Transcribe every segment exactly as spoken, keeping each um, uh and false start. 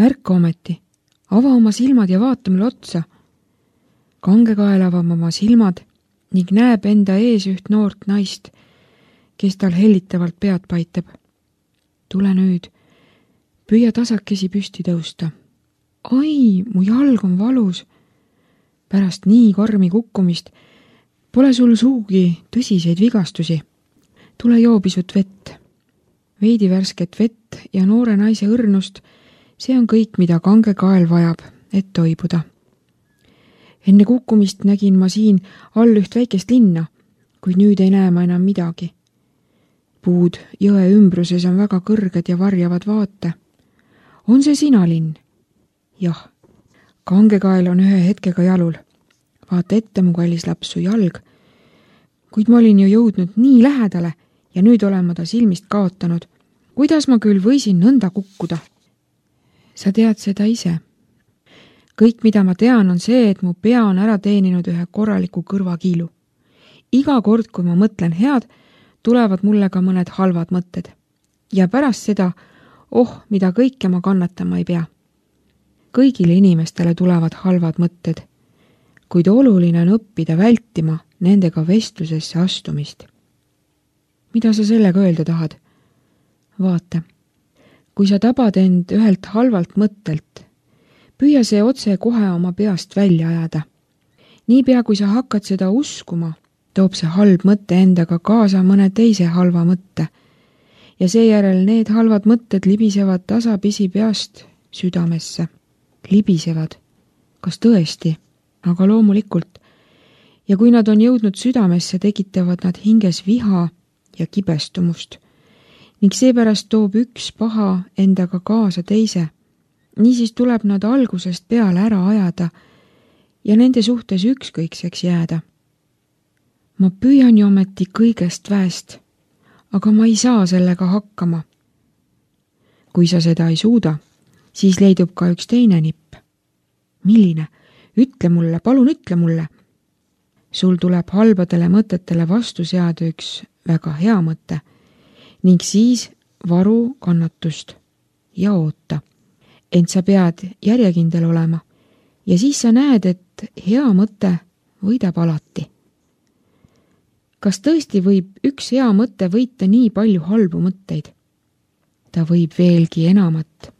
Ärka ometi, ava oma silmad ja vaata mulle otsa. Kangekael avab oma silmad ning näeb enda ees üht noort naist, kes tal hellitavalt pead paitab. Tule nüüd, püüa tasakesi püsti tõusta. Ai, mu jalg on valus. Pärast nii karmi kukkumist pole sul suugi tõsiseid vigastusi. Tule joo pisut vett. Veidi värsket vett ja noore naise õrnust, see on kõik, mida Kangekael vajab, et toibuda. Enne kukkumist nägin ma siin all üht väikest linna, kuid nüüd ei näe ma enam midagi. Puud jõe ümbruses on väga kõrged ja varjavad vaate. On see sina, linn? Jah, Kangekael on ühe hetkega jalul. Vaata ette, mu kallis laps, su jalg. Kuid ma olin ju jõudnud nii lähedale ja nüüd olen ma ta silmist kaotanud. Kuidas ma küll võisin nõnda kukkuda? Sa tead seda ise. Kõik, mida ma tean, on see, et mu pea on ära teeninud ühe korraliku kõrvakiilu. Iga kord, kui ma mõtlen head, tulevad mulle ka mõned halvad mõtted. Ja pärast seda, oh, mida kõike ma kannatama ei pea. Kõigile inimestele tulevad halvad mõtted, kuid oluline on õppida vältima nendega vestlusesse astumist. Mida sa sellega öelda tahad? Vaata, kui sa tabad end ühelt halvalt mõttelt, püüa see otse kohe oma peast välja ajada. Niipea, kui sa hakkad seda uskuma, toob see halb mõte endaga kaasa mõne teise halva mõtte ja seejärel need halvad mõtted libisevad tasapisi peast südamesse. Libisevad. Kas tõesti? Aga loomulikult. Ja kui nad on jõudnud südamesse, tekitavad nad hinges viha ja kibestumust. Ning seepärast toob üks paha endaga kaasa teise. Niisiis tuleb nad algusest peale ära ajada ja nende suhtes ükskõikseks jääda. Ma püüan ju ometi kõigest väest, aga ma ei saa sellega hakkama. Kui sa seda ei suuda, siis leidub ka üks teine nipp. Milline? Ütle mulle, palun ütle mulle. Sul tuleb halbadele mõtetele vastu seada üks väga hea mõte ning siis varu kannatust ja oota. Ent sa pead järjekindel olema ja siis sa näed, et hea mõte võidab alati. Kas tõesti võib üks hea mõte võita nii palju halbu mõtteid? Ta võib veelgi enamat.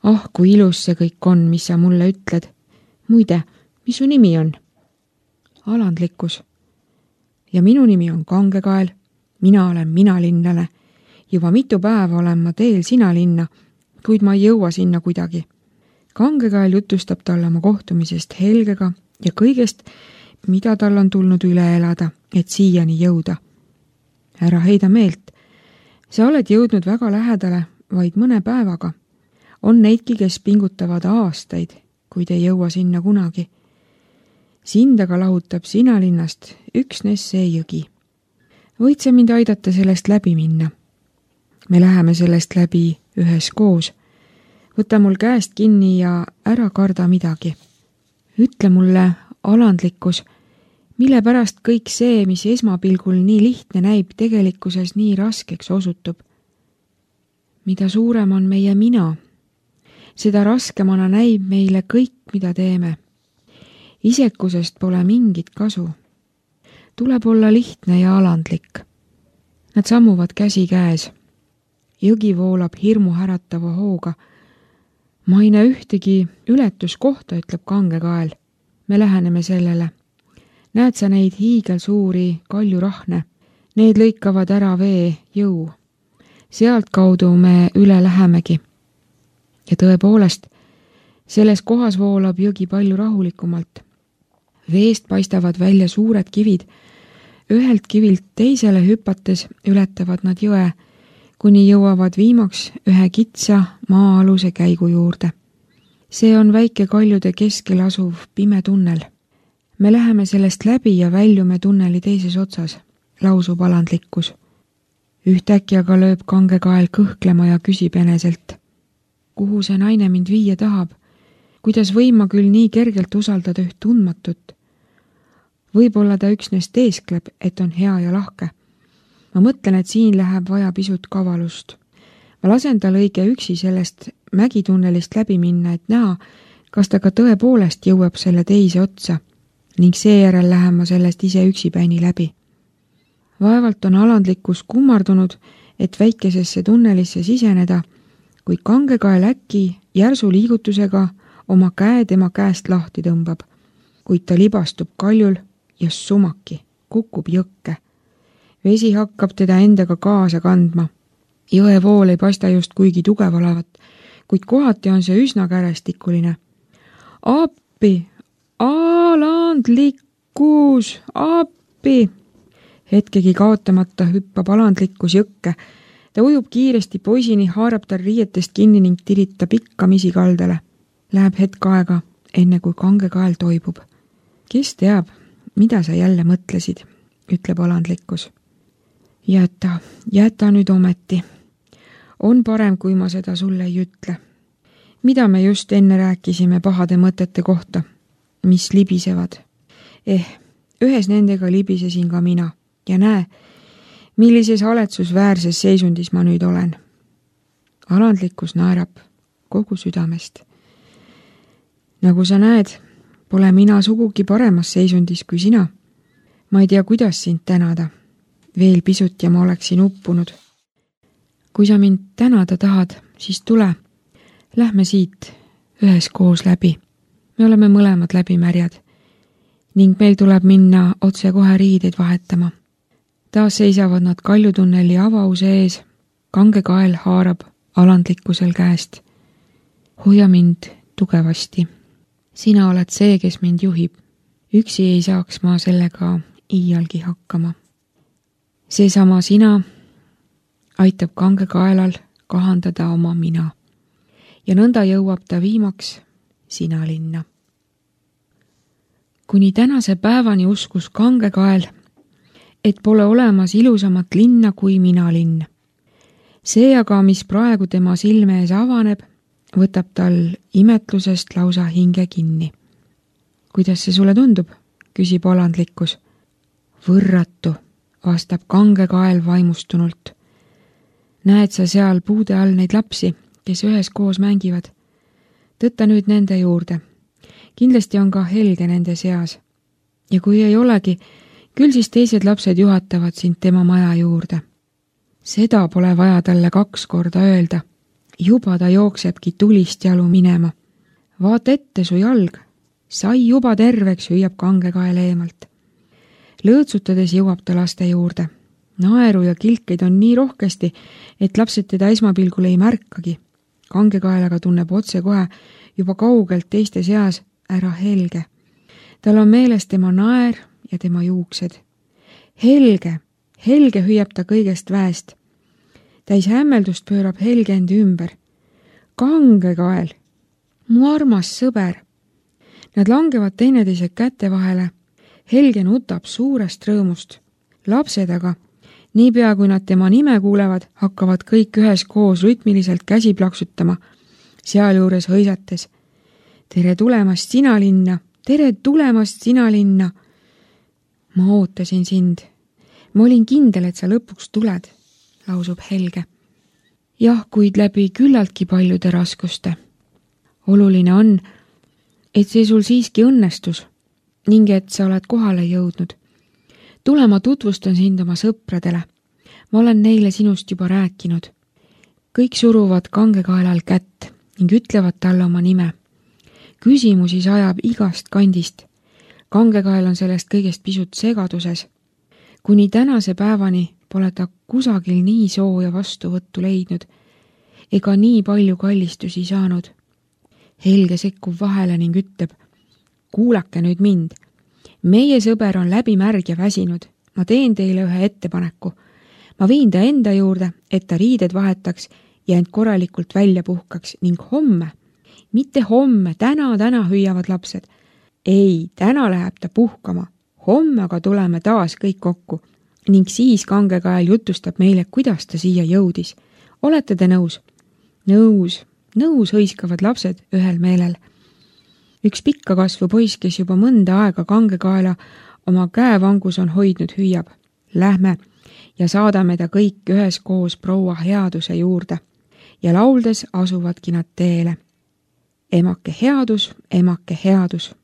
Ah, kui ilus see kõik on, mis sa mulle ütled. Muide, mis su nimi on? Alandlikkus. Ja minu nimi on Kangekael. Mina olen minalinnlane. Juba mitu päeva olen ma teel sina linna, kuid ma ei jõua sinna kuidagi. Kangekael jutustab talle oma kohtumisest Helgega ja kõigest, mida tal on tulnud üle elada, et siiani jõuda. Ära heida meelt. Sa oled jõudnud väga lähedale vaid mõne päevaga. On neidki, kes pingutavad aastaid, kuid ei jõua sinna kunagi. Sind aga lahutab sina linnast üksnes see jõgi. Võid sa mind aidata sellest läbi minna? Me läheme sellest läbi ühes koos. Võta mul käest kinni ja ära karda midagi. Ütle mulle, alandlikkus, mille pärast kõik see, mis esmapilgul nii lihtne näib, tegelikkuses nii raskeks osutub. Mida suurem on meie mina, seda raskemana näib meile kõik, mida teeme. Isekusest pole mingit kasu. Tuleb olla lihtne ja alandlik. Nad sammuvad käsi käes. Jõgi voolab hirmu äratava hooga. Ma ei näe ühtegi ületuskohta, ütleb Kangekael. Me läheneme sellele. Näed sa neid hiigelsuuri kaljurahne? Need lõikavad ära vee jõu. Sealt kaudu me üle lähemegi. Ja tõepoolest, selles kohas voolab jõgi palju rahulikumalt. Veest paistavad välja suured kivid. Ühelt kivilt teisele hüpates ületavad nad jõe, kuni jõuavad viimaks ühe kitsa maa-aluse käigu juurde. See on väike kaljude keskel asuv pime tunnel. Me läheme sellest läbi ja väljume tunneli teises otsas, lausub alandlikkus. Ühtäkki aga lööb Kangekael kõhklema ja küsib eneselt. Kuhu see naine mind viia tahab? Kuidas võin ma küll nii kergelt usaldada üht tundmatut? Võib-olla ta üksnes teeskleb, et on hea ja lahke. Ma mõtlen, et siin läheb vaja pisut kavalust. Ma lasen tal õige üksi sellest mägitunnelist läbi minna, et näha, kas ta ka tõepoolest jõuab selle teise otsa ning seejärel lähen ma sellest ise üksipäini läbi. Vaevalt on alandlikkus kummardunud, et väikesesse tunnelisse siseneda, kui kangekael äkki järsu liigutusega oma käe tema käest lahti tõmbab, kuid ta libastub kaljul ja sumaki, kukub jõkke. Vesi hakkab teda endaga kaasa kandma. Jõe vool ei paista just kuigi tugev olevat, kuid kohati on see üsna kärestikuline. Appi! Alandlikkus! Appi! Hetkegi kaotamata hüppab alandlikkus jõkke. Ta ujub kiiresti poisini, haarab tal riietest kinni ning tiritab ikkamisi kaldale. Läheb hetk aega, enne kui kangekael toibub. Kes teab, mida sa jälle mõtlesid, ütleb alandlikkus. Jäta, jäta nüüd ometi. On parem, kui ma seda sulle ei ütle. Mida me just enne rääkisime pahade mõtete kohta, mis libisevad? Eh, ühes nendega libisesin ka mina ja näe, millises haletsusväärses seisundis ma nüüd olen. Alandlikkus naerab kogu südamest. Nagu sa näed, pole mina sugugi paremas seisundis kui sina. Ma ei tea, kuidas sind tänada. Veel pisut ja ma oleksin uppunud. Kui sa mind tänada tahad, siis tule. Lähme siit ühes koos läbi. Me oleme mõlemad läbimärjad ning meil tuleb minna otse kohe riideid vahetama. Taas seisavad nad kaljutunneli avause ees. Kangekael haarab alandlikkusel käest. Hoia mind tugevasti. Sina oled see, kes mind juhib. Üksi ei saaks ma sellega iialgi hakkama. Seesama sina aitab kangekaelal kahandada oma mina. Ja nõnda jõuab ta viimaks sina linna. Kuni tänase päevani uskus kangekael, et pole olemas ilusamat linna kui mina linn. See aga, mis praegu tema silme ees avaneb, võtab tal imetlusest lausa hinge kinni. Kuidas see sulle tundub? Küsib alandlikkus. Võrratu, vastab kangekael vaimustunult. Näed sa seal puude all neid lapsi, kes ühes koos mängivad? Tõtta nüüd nende juurde. Kindlasti on ka Helge nende seas. Ja kui ei olegi, küll siis teised lapsed juhatavad sind tema maja juurde. Seda pole vaja talle kaks korda öelda. Juba ta jooksebki tulist jalu minema. Vaata ette su jalg. Sai juba terveks, hüüab kangekael eemalt. Lõõtsutades jõuab ta laste juurde. Naeru ja kilkeid on nii rohkesti, et lapsed teda esmapilgul ei märkagi. Kangekaelaga tunneb otse kohe juba kaugelt teiste seas ära Helge. Tal on meeles tema naer ja tema juuksed. Helge, Helge hüüab ta kõigest väest. Täis hämmeldust pöörab Helge endi ümber. Kangekael, mu armas sõber. Nad langevad teineteise käte vahele. Helge nutab suurest rõõmust. Lapsed aga, niipea kui nad tema nime kuulevad, hakkavad kõik ühes koos rütmiliselt käsi plaksutama, sealjuures hõisates. Tere tulemast sina linna, tere tulemast sina linna. Ma ootasin sind. Ma olin kindel, et sa lõpuks tuled, lausub Helge. Jah, kuid läbi küllaltki paljude raskuste. Oluline on, et see sul siiski õnnestus ning et sa oled kohale jõudnud. Tule, ma tutvustan sind oma sõpradele. Ma olen neile sinust juba rääkinud. Kõik suruvad kangekaelal kätt ning ütlevad talle oma nime. Küsimusi sajab igast kandist. Kangekael on sellest kõigest pisut segaduses. Kuni tänase päevani pole ta kusagil nii sooja vastuvõttu leidnud ega nii palju kallistusi saanud. Helge sekkub vahele ning ütleb, kuulake nüüd mind. Meie sõber on läbi märg ja väsinud. Ma teen teile ühe ettepaneku. Ma viin ta enda juurde, et ta riided vahetaks ja end korralikult välja puhkaks ning homme, mitte homme, täna, täna hüüavad lapsed. Ei, täna läheb ta puhkama. Homme aga tuleme taas kõik kokku ning siis kangekael jutustab meile, kuidas ta siia jõudis. Olete te nõus? Nõus, nõus hõiskavad lapsed ühel meelel. Üks pikka kasvu poiss, kes juba mõnda aega kangekaela oma käevangus on hoidnud, hüüab. Lähme ja saadame ta kõik ühes koos proua headuse juurde. ja lauldes asuvadki nad teele. Emake headus, emake headus,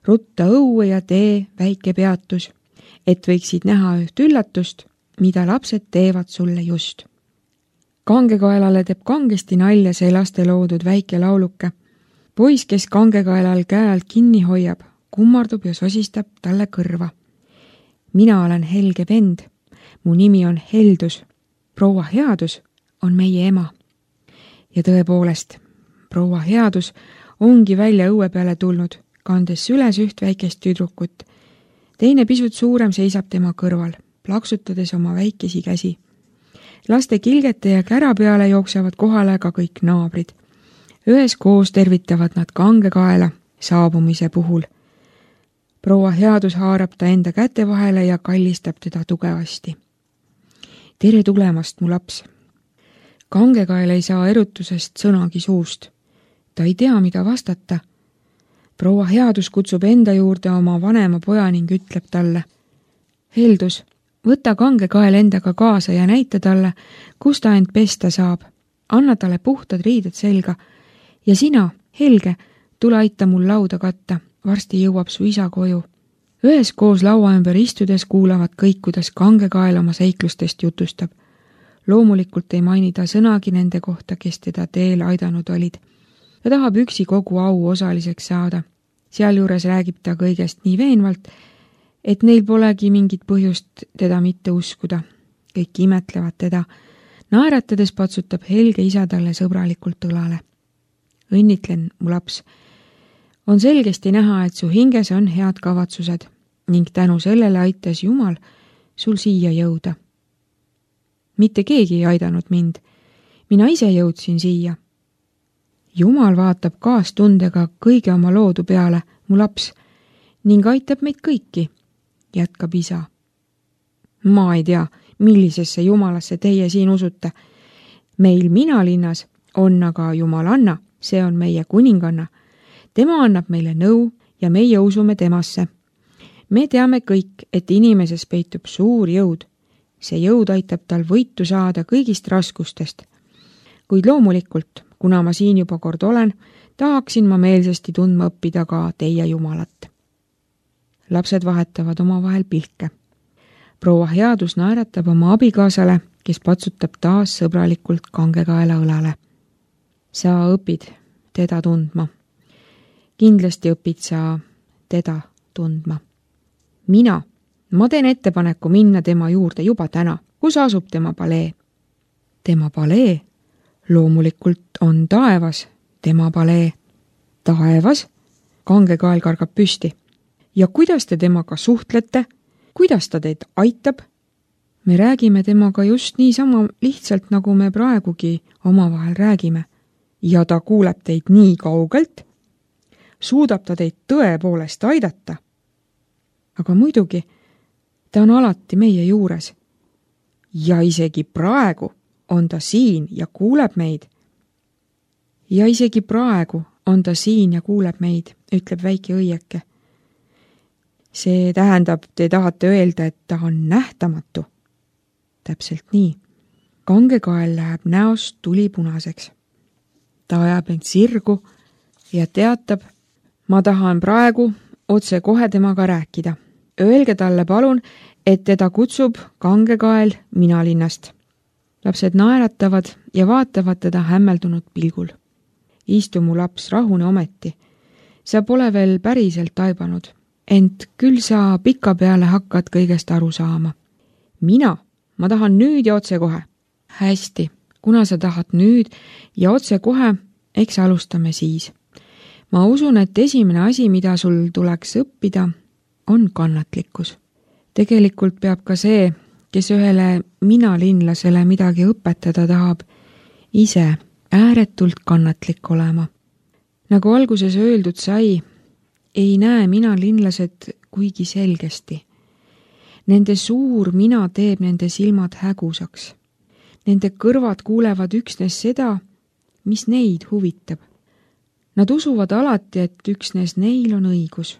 rutta õue ja tee väike peatus, et võiksid näha üht üllatust, mida lapsed teevad sulle just. Kangekaelale teeb kangesti nalja see laste loodud väike lauluke. Poiss, kes kangekaelal käe alt kinni hoiab, kummardub ja sosistab talle kõrva. Mina olen Helge vend, mu nimi on Heldus, proua Headus on meie ema. Ja tõepoolest, proua Headus ongi välja õue peale tulnud, kandes süles üht väikest tüdrukut. Teine pisut suurem seisab tema kõrval, plaksutades oma väikesi käsi. Laste kilgete ja kära peale jooksevad kohale ka kõik naabrid. Üheskoos tervitavad nad kangekaela saabumise puhul. Proua Headus haarab ta enda käte vahele ja kallistab teda tugevasti. Tere tulemast, mu laps! Kangekael ei saa erutusest sõnagi suust. Ta ei tea, mida vastata. Proua Headus kutsub enda juurde oma vanema poja ning ütleb talle: Heldus, võta kangekael endaga kaasa ja näita talle, kus ta end pesta saab. Anna talle puhtad riided selga. Ja sina, Helge, tule aita mul lauda katta. Varsti jõuab su isa koju. Üheskoos laua ümber istudes kuulavad kõik, kuidas kangekael oma seiklustest jutustab. Loomulikult ei maini ta sõnagi nende kohta, kes teda teel aidanud olid. Ta tahab üksi kogu au osaliseks saada. Sealjuures räägib ta kõigest nii veenvalt, et neil polegi mingit põhjust teda mitte uskuda. Kõik imetlevad teda. Naeratades patsutab Helge isa talle sõbralikult õlale. Õnnitlen, mu laps. On selgesti näha, et su hinges on head kavatsused ning tänu sellele aitas Jumal sul siia jõuda. Mitte keegi ei aidanud mind. Mina ise jõudsin siia. Jumal vaatab kaastundega kõige oma loodu peale, mu laps, ning aitab meid kõiki, jätkab isa. Ma ei tea, millisesse Jumalasse teie siin usute. Meil Minalinnas on aga Jumalanna, see on meie kuninganna. Tema annab meile nõu ja meie usume temasse. Me teame kõik, et inimeses peitub suur jõud. See jõud aitab tal võitu saada kõigist raskustest. Kuid loomulikult, kuna ma siin juba kord olen, tahaksin ma meelsasti tundma õppida ka teie Jumalat. Lapsed vahetavad omavahel pilke. Proua Headus naeratab oma abikaasale, kes patsutab taas sõbralikult kangekaela õlale. Sa õpid teda tundma. Kindlasti õpid sa teda tundma. Mina, ma teen ettepaneku minna tema juurde juba täna. Kus asub tema palee? Tema palee? Loomulikult on taevas tema palee. Taevas? Kangekael kargab püsti. Ja kuidas te temaga suhtlete? Kuidas ta teid aitab? Me räägime temaga just nii sama lihtsalt, nagu me praegugi omavahel räägime. Ja ta kuuleb teid nii kaugelt? Suudab ta teid tõepoolest aidata? Aga muidugi, ta on alati meie juures. Ja isegi praegu on ta siin ja kuuleb meid. Ja isegi praegu on ta siin ja kuuleb meid, ütleb väike õieke. See tähendab, te tahate öelda, et ta on nähtamatu. Täpselt nii. Kangekael läheb näost tulipunaseks. Ta ajab end sirgu ja teatab, ma tahan praegu otse kohe temaga rääkida. Öelge talle palun, et teda kutsub kangekael Minalinnast. Lapsed naeratavad ja vaatavad teda hämmeldunud pilgul. Istu mu laps, rahune ometi. Sa pole veel päriselt taibanud, ent küll sa pika peale hakkad kõigest aru saama. Mina, ma tahan nüüd ja otse kohe. Hästi, kuna sa tahad nüüd ja otse kohe, eks alustame siis. Ma usun, et esimene asi, mida sul tuleks õppida, on kannatlikkus. Tegelikult peab ka see, kes ühele minalinlasele midagi õpetada tahab, ise ääretult kannatlik olema. Nagu alguses öeldud sai, ei näe minalinlased kuigi selgesti. Nende suur mina teeb nende silmad hägusaks. Nende kõrvad kuulevad üksnes seda, mis neid huvitab. Nad usuvad alati, et üksnes neil on õigus.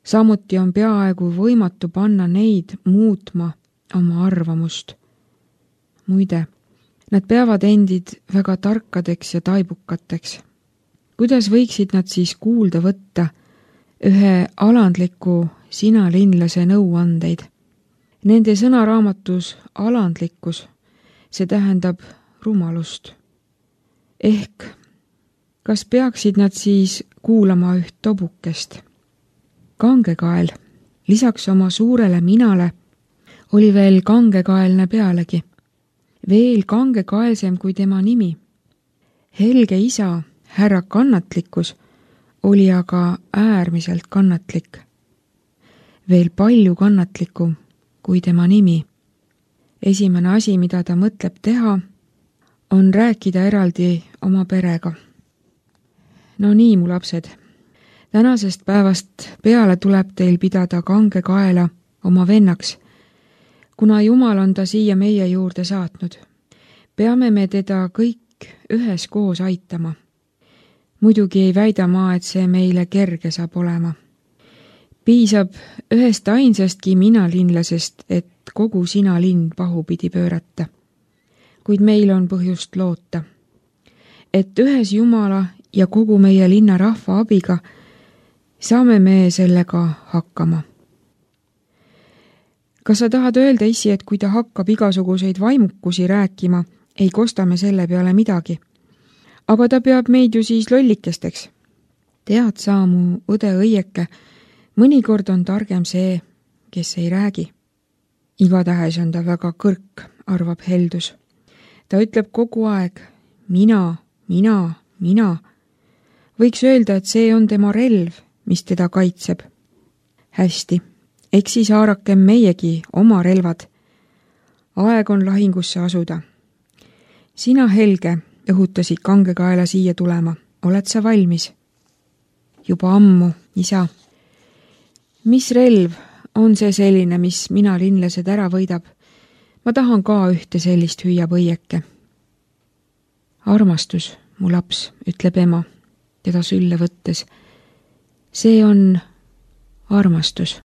Samuti on peaaegu võimatu panna neid muutma oma arvamust. Muide, Nad peavad endid väga tarkadeks ja taibukateks. Kuidas võiksid nad siis kuulda võtta ühe alandliku sinalinlase nõuandeid? Nende sõnaraamatus alandlikkus, see tähendab rumalust. Ehk, kas peaksid nad siis kuulama üht tobukest? Kangekael, lisaks oma suurele minale, oli veel kangekaelne pealegi. Veel kangekaelsem kui tema nimi. Helge isa, härra kannatlikkus, oli aga äärmiselt kannatlik. Veel palju kannatlikum kui tema nimi. Esimene asi, mida ta mõtleb teha, on rääkida eraldi oma perega. No nii, mu lapsed, tänasest päevast peale tuleb teil pidada kangekaela oma vennaks, kuna Jumal on ta siia meie juurde saatnud. Peame me teda kõik üheskoos aitama. Muidugi ei väida ma, et see meile kerge saab olema. Piisab ühest ainsastki minalinlasest, et kogu sina linn pahupidi pöörata. Kuid meil on põhjust loota, et ühes Jumala ja kogu meie linna rahva abiga saame me sellega hakkama. Kas sa tahad öelda, issi, et kui ta hakkab igasuguseid vaimukusi rääkima, ei kosta me selle peale midagi? Aga ta peab meid ju siis lollikesteks. Tead sa, mu õde õieke, mõnikord on targem see, kes ei räägi. Igatahes on ta väga kõrk, arvab Heldus. Ta ütleb kogu aeg, mina, mina, mina. Võiks öelda, et see on tema relv, mis teda kaitseb. Hästi, eks siis haarakem meiegi oma relvad. Aeg on lahingusse asuda. Sina, Helge, õhutasid kangekaela siia tulema. Oled sa valmis? Juba ammu, isa. Mis relv on see selline, mis mina linlased ära võidab? Ma tahan ka ühte sellist hüüab õieke. Armastus, mu laps, ütleb ema, teda sülle võttes. See on armastus.